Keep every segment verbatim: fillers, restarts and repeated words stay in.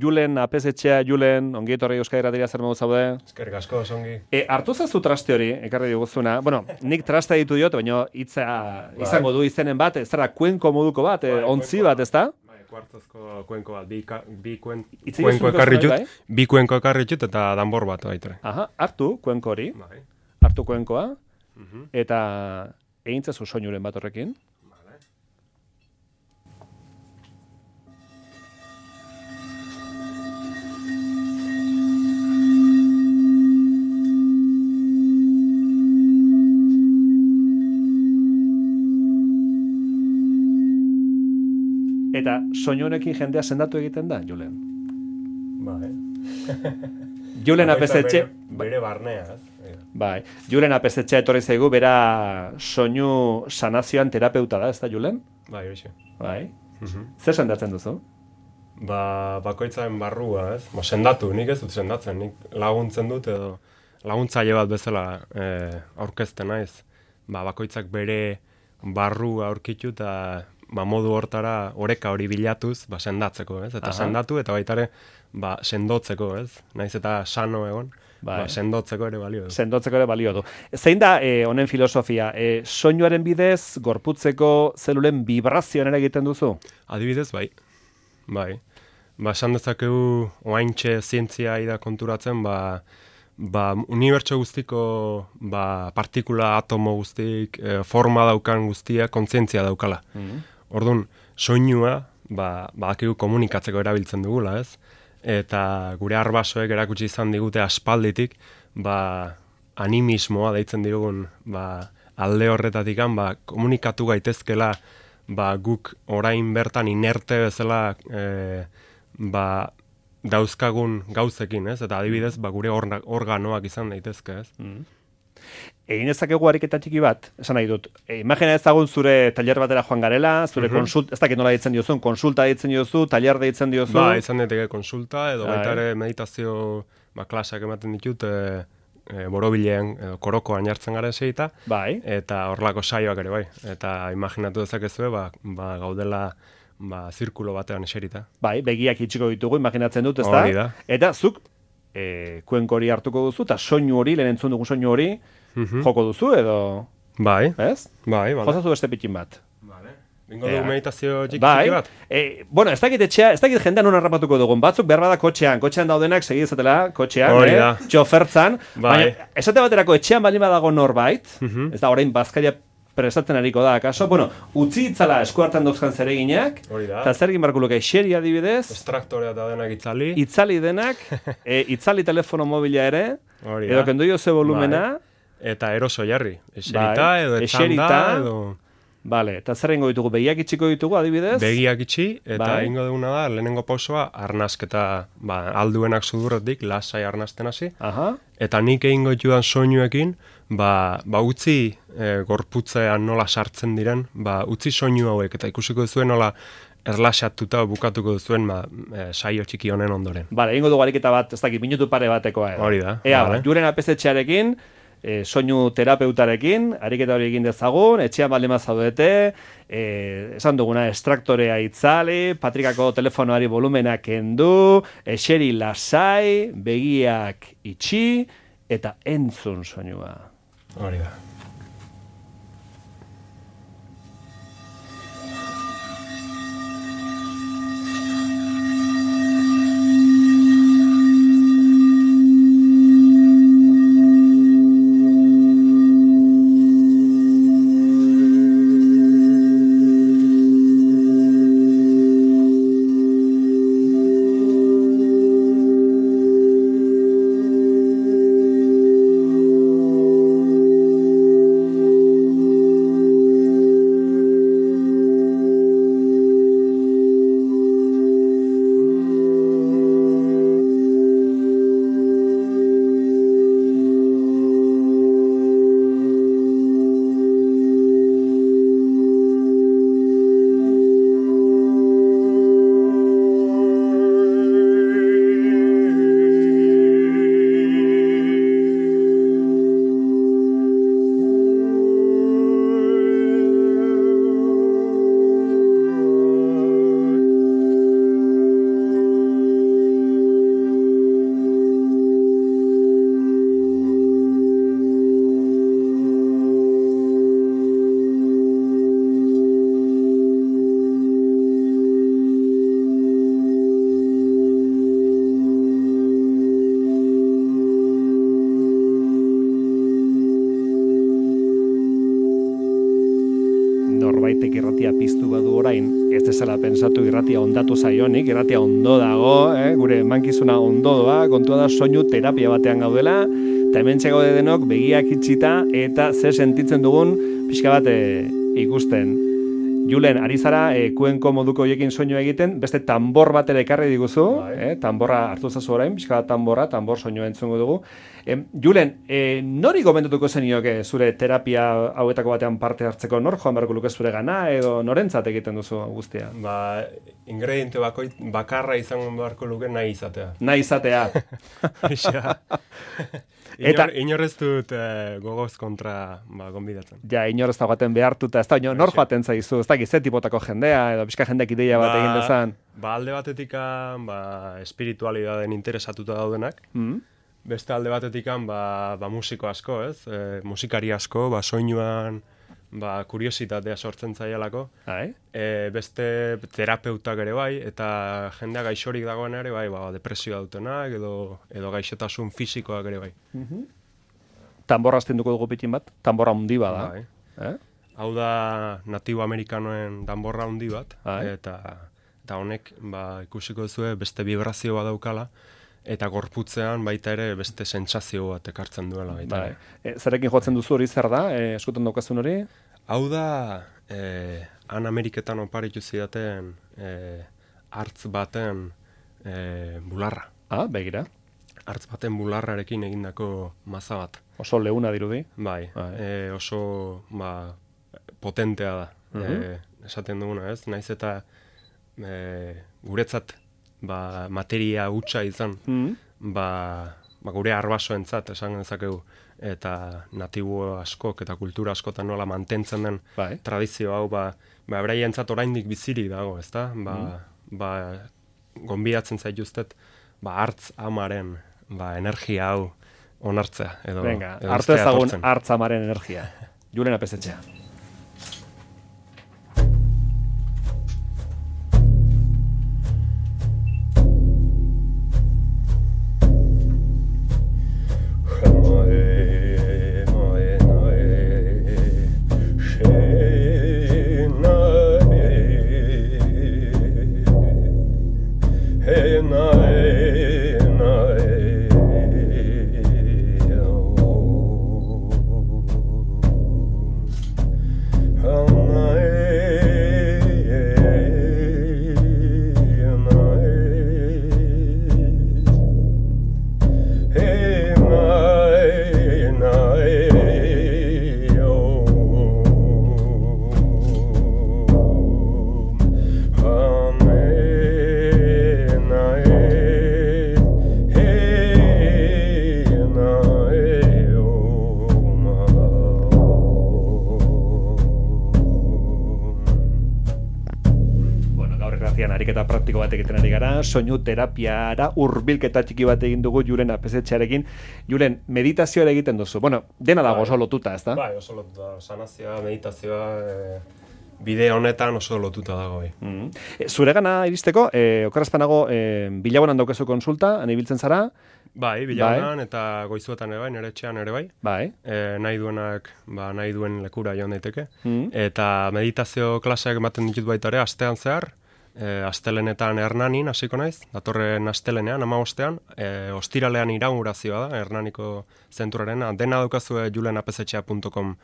Julen apesetxea, Julen, ongi etorri Euskadi Irratia, zer modu zaude? Eskerrik asko, ongi. E, hartu zazu traste hori, ekarri diguzuna. Bueno, nik traste ditu diot, baina hitza izango du izenen bat, ez zara kuenko moduko bat, e, ontzi bat, ezta? Bai, kuartozko kuenko bat, bi, ka, bi kuen, Itzi kuenko duzu ekarri ikusten, txut, bi kuenko ekarri txut eta danbor bat baitare. Aha, hartu kuenko hori, Bai. hartu kuenkoa, Mhm. eta egintzazu soinuren bat horrekin. Vale. Eta soinu honekin jendea sendatu egiten da, Julen. Bai. Julen apesetxe... Bere, bere barnea, ez? Bai, Julen apesetxe etorri zaigu, bera soinu sanazioan terapeuta da, ez da, Julen? Bai, horixe. Bai. Mhm. Zer sendatzen duzu? Ba, bakoitzaren barrua, ez? Ba, sendatu, nik ez dut sendatzen, nik laguntzen dut edo laguntzaile bat bezala eh, aurkezten naiz. Ba, bakoitzak bere barrua aurkitu eta ba, modu hortara oreka hori bilatuz, ba, sendatzeko, ez? Eta Aha. sendatu eta baitare ba, sendotzeko, ez? Naiz eta sano egon, Bai. ba, sendotzeko ere balio du. Sendotzeko ere balio du. Zein da eh, honen filosofia? Eh, soinuaren bidez, gorputzeko zelulen vibrazioan ere egiten duzu? Adibidez, bai. Bai. Ba, esan dezakegu oaintxe zientzia ida konturatzen, ba, ba, unibertso guztiko ba, partikula, atomo guztik, e, forma daukan guztia, kontzientzia daukala. Mhm. Orduan, soinua, ba, badakigu komunikatzeko erabiltzen dugula, ez? Eta gure arbasoek erakutsi izan digute aspalditik, ba, animismoa deitzen digun, ba, alde horretatikan, ba, komunikatu gaitezkela, ba, guk orain bertan inerte bezala e, ba, dauzkagun gauzekin, ez? Eta adibidez, ba, gure orna, organoak izan daitezke, ez? Mhm. Egin ezakegu ariketa txiki bat, esan nahi dut. E, imagina ezagun zure taller batera joan garela, zure Mhm. konsult, ez dakit nola ditzen diozun, konsulta ditzen diozu, taller ditzen diozu. Ba, izan daiteke konsulta, edo Bai. baita ere meditazio ba, klaseak ematen ditut, e, e, borobilean, edo korokoan jartzen garen seita, Bai. eta horrelako saioak ere bai. Eta imaginatu dezakezue, ba, ba, gaudela ba, zirkulo batean eserita. Bai, begiak itxiko ditugu, imaginatzen dut, ezta? Hori da. Eta zuk e, kuenko hori hartuko duzu, eta soinu hori, lehen entzun dugu soinu hori, Mhm. joko duzu, edo, Bai, ez? bai, bai. Jozazu beste pitin bat. Vale. Bingo Ea. dugu meditazio txiki Bai, txiki bat? e, bueno, ez dakit etxea, ez dakit jendean non harrapatuko dugun, batzuk behar bada kotxean, kotxean daudenak segi ezatela, kotxean, Hori eh? da. txofertzan, Bai. baina esate baterako etxean baldin badago norbait, Mhm. ez da orain bazkaria prestatzen ariko da, akaso, bueno, utzi itzala esku hartan dauzkan zereginak, Hori da. eta zer egin barko luke, xeri adibidez, Estraktorea eta denak itzali. itzali denak, e, itzali telefono mobila ere, Hori da. edo kendu jo ze volumena, Eta eroso jarri. Eserita, Bai, edo eserita. etxanda, edo vale, eta zer egingo ditugu, begiak itxiko ditugu adibidez, begiak itxi, eta Bai. egingo duguna da, lehenengo pausoa, arnasketa, ba, alduenak sudurretik, lasai arnasten hasi, aha, eta nik egingo ditudan soinuekin, ba, ba utzi e, gorputzean nola sartzen diren, ba, utzi soinu hauek, eta ikusiko duzuen nola erlaxatuta bukatuko duzuen ba, e, saio txiki honen ondoren. vale, egingo dugu ariketa bat, ez dakit, minutu pare batekoa edo. Hori da, Ea, vale. ba, Julen apesetxearekin, e, soinu terapeutarekin, ariketa hori egin dezagun, etxean baldin bazaudete, e, esan duguna, estraktorea itzali, patrikako telefonoari volumena kendu, eseri lasai, begiak itxi, eta entzun soinua. Hori da. bezala pensatu irratia ondatu zaionik, irratia ondo dago, eh? Gure mankizuna ondo doa, kontua da soinu terapia batean gaudela, eta hemen txegaude denok begiak itxita eta ze sentitzen dugun pixka bat e, ikusten. Julen, ari zara, e, kuenko moduko hoiekin soinua egiten, beste tambor bat ere ekarri diguzu, eh? Tamborra hartu zazu orain, pixka bat tamborra, tambor soinua entzungo dugu. E, Julen, e, nori gomendatuko zenioke zure terapia hauetako batean parte hartzeko, nor joan beharko luke zure gana, edo norentzat egiten duzu guztia? Ba, ingrediente bakoit bakarra izango beharko luke nahi izatea. Nahi izatea. Eta inor ez dut eh, gogoz kontra ba, gonbidatzen. Ja, inor ez da joaten behartuta, ez da, nor joaten zaizu, ez da, ze tipotako jendea, edo pixka jendeak ideia bat ba, egin dezan. Ba, alde batetik ba, espiritualidaden interesatuta daudenak, mm. beste alde batetik ba, ba, musiko asko, ez? E, musikari asko, ba, soinuan ba, kuriositatea sortzen zaialako. E, beste terapeutak ere bai, eta jendea gaixorik dagoen ere bai, ba, depresioa dutenak, edo, edo gaixotasun fisikoak ere bai. Mm-hmm. Tamborra aztenduko dugu pitin bat? Tamborra hundi bat da. Bai. Eh? Hau da natibo amerikanoen danborra hundi bat, eta, eta honek ba, ikusiko zuen beste vibrazio bat daukala, eta gorputzean baita ere beste sentsazio bat ekartzen duela baita. Bai. E, zerekin jotzen duzu hori zer da? E, eskutan daukazun hori? Hau da, eh, han Ameriketan oparitu zidaten eh, hartz baten eh, bularra. Ah, begira. Hartz baten bularrarekin egindako maza bat. Oso leuna dirudi. Bai, bai. Eh, oso ba, potentea da. Uh-huh. eh, esaten duguna, ez? Naiz eta eh, guretzat ba, materia hutsa izan, mm. ba, ba, gure arbasoentzat esan dezakegu, eta natibo askok eta kultura askotan nola mantentzen den bai. Tradizio hau, ba, ba beraientzat oraindik bizirik dago, ezta? Ba, mm. ba, gonbidatzen zaituztet, ba, hartz amaren ba, energia hau onartzea. Edo, Venga, hartu ezagun hartz amaren energia. Julen Apesetxea. Soinu terapiara hurbilketa txiki bat egin dugu Julen Apesetxearekin. Julen, meditazioa egiten duzu. Bueno, dena dago oso lotuta, ez da? Bai, oso lotuta. Sanazioa, meditazioa, e, bide honetan oso lotuta dago. Bai. Mm-hmm. E, zure gana iristeko, e, okarazpanago, e, bilagunan daukezu konsulta, han ibiltzen zara? Bai, bilagunan bai. Eta goizuetan ere bai, nire etxean ere bai. Bai. E, nahi duenak, ba, nahi duen lekura joan daiteke. Mm-hmm. Eta meditazio klaseak ematen ditut baita ere, astean zehar, E, astelenetan Hernanin hasiko naiz, datorren astelenean, hamabostean, e, ostiralean inaugurazioa da, Hernaniko zentrurarena, dena daukazue julen apesetxea puntu com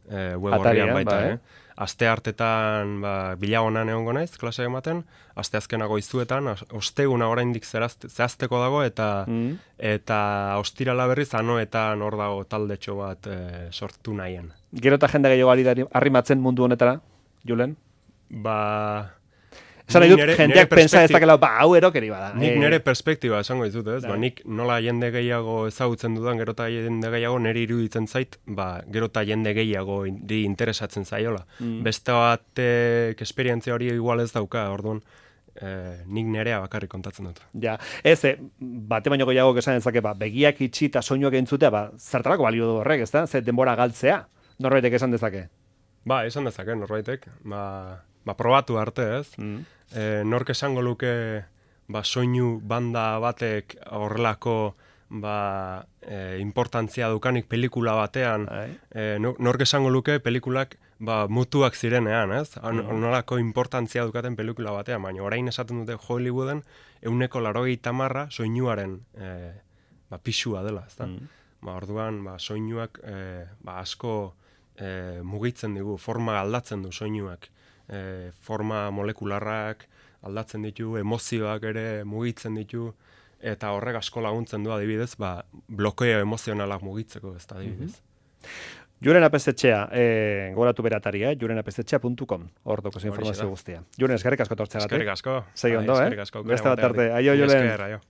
e, web horrian baita, ba, eh? Aste hartetan ba, bilagonan egongo naiz, klase ematen, aste azkena goizuetan, osteguna oraindik zehazteko dago, eta mm. eta ostirala berriz anoetan hor dago taldetxo bat e, sortu nahien. Gero eta jende gehiago arrimatzen mundu honetara, Julen? Ba... Esan nahi dut, jendeak pensa ez dakela, ba, hau erokeri bada. Nik nire perspektiba esango dizut, ez? Ba, nik nola jende gehiago ezagutzen dudan, gero eta jende gehiago nire iruditzen zait, ba, gero eta jende gehiago di interesatzen zaiola. Mm. Beste batek esperientzia hori igual ez dauka, orduan, eh, nik nerea bakarrik kontatzen dut. Ja, ez, eh, bate baino gehiago esan ezake, ba, begiak itxi eta soinuak entzutea, ba, zertarako balio du horrek, ez da? Ze denbora galtzea, norbaitek esan dezake? Ba, esan dezake, norbaitek, ba... Ba, probatu arte, ez? Mm. E, nork esango luke ba, soinu banda batek horrelako ba, e, importantzia dukanik pelikula batean. E, nork esango luke pelikulak ba, mutuak zirenean, ez? Onolako importantzia dukaten pelikula batean, baina orain esaten dute Hollywooden euneko larogei tamarra soinuaren e, ba, pixua dela, ez da? Mm. Ba, orduan, ba, soinuak e, ba, asko e, mugitzen digu, forma aldatzen du soinuak, e, forma molekularrak aldatzen ditu, emozioak ere mugitzen ditu, eta horrek asko laguntzen du adibidez, ba, blokeo emozionalak mugitzeko, ez da adibidez. Mm-hmm. Julen Apezetxea, eh, goratu beratari, eh? julen apezetxea puntu com, hor dokoz informazio guztia. Julen, eskerrik asko tortzea. Eskerrik asko. Segi ondo, eh? Beste bat arte. Aio, Julen.